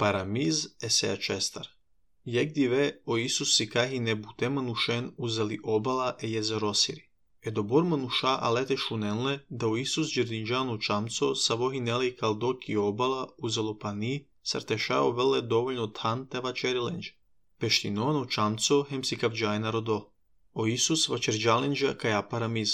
Paramiz esea cestar. Jek dive o Isus sikahi ne bute manushen uzeli obala e jezerosiri. E dobor manusha alete shunenle da o Isus gjerdinjanu čamco savo hineli kaldoki obala uzelo pani sarteshao vele dovoljno tan te vačerilenđe. Peštinono čamco hem si kavđajna rodo. O Isus vačerđalenđa kaja paramiz.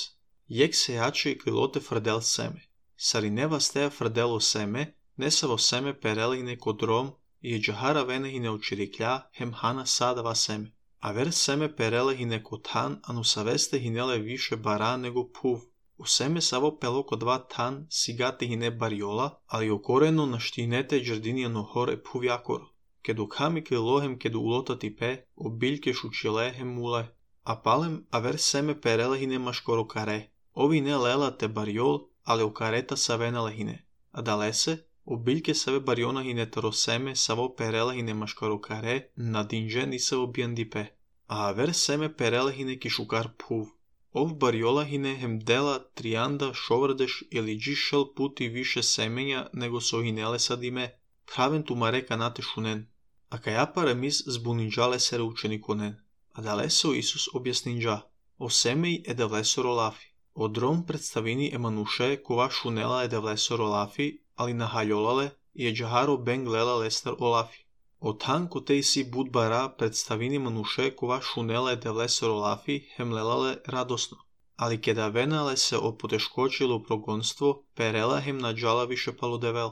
Jek se jače kilote frdel seme. Sari neva steja frdelo seme, nesavo seme perelihne kodrom i džahara venehine učiriklja hem hana sadava seme. A ver seme perelihine kotan anu saveste hinele više bara nego puv. U seme savo peloko dva tan sigatihine bariola, ali okoreno naštinete džardinijano hore puv jakoro. Kedu kami kilohem kedu ulotati pe, obiljke šučile hem mule. A palem a ver seme perelihine maškoro kare. Ovi ne lela te bariol, ale u kareta savenelehine. A dalese, obiljke save barionahine taroseme savo perelehine maškarokare na dinže nisavo bijandipe. A ver seme perelehine kišukar puv. Ov bariolahine hem dela trianda šovrdeš ili džišel puti više semenja nego sohinele sadime. Praven tu mare kanate šunen. A kaja paramiz zbuninđale sere učenikonen. A daleso Isus objasninđa. O semej edevlesoro lafi. Odrom predstavini emanuše kova šunela edevlesoro lafi, ali nahaljolale je džaharo ben glela lester olafi. O tanko tej si budbara predstavini manuše kova šunela edevlesoro lafi hemlelale radosno. Ali keda venale se o poteškočilo progonstvo, perela hem nađala više palodevel.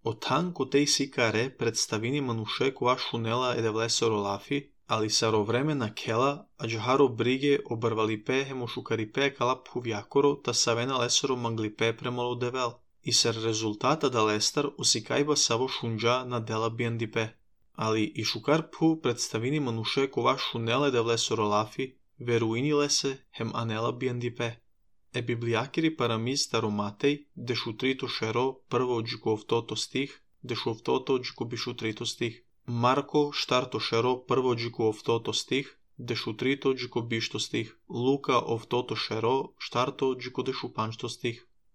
O tanko tej si kare predstavini manuše kova šunela edevlesoro lafi, ali saro vremena kela, a džaharo brige obarvali pe hemo šukari pe kalap huvjakoro ta savena lesoro mangli pe premalo devel. I ser rezultata da lestar usikajba savo šunđa na dela bijandipe. Ali i šukar pu predstavini manuše kova šunele devlesoro lafi, veruinile se hem anela bijandipe. E biblijakiri paramiz taromatej, dešu trito šero prvo džikov toto stih, dešov toto džiko bišu trito stih. Marko štarto šero prvo džiko ov toto stih, dešu trito džiko bišto stih. Luka ov toto šero štarto džiko dešu panšto stih.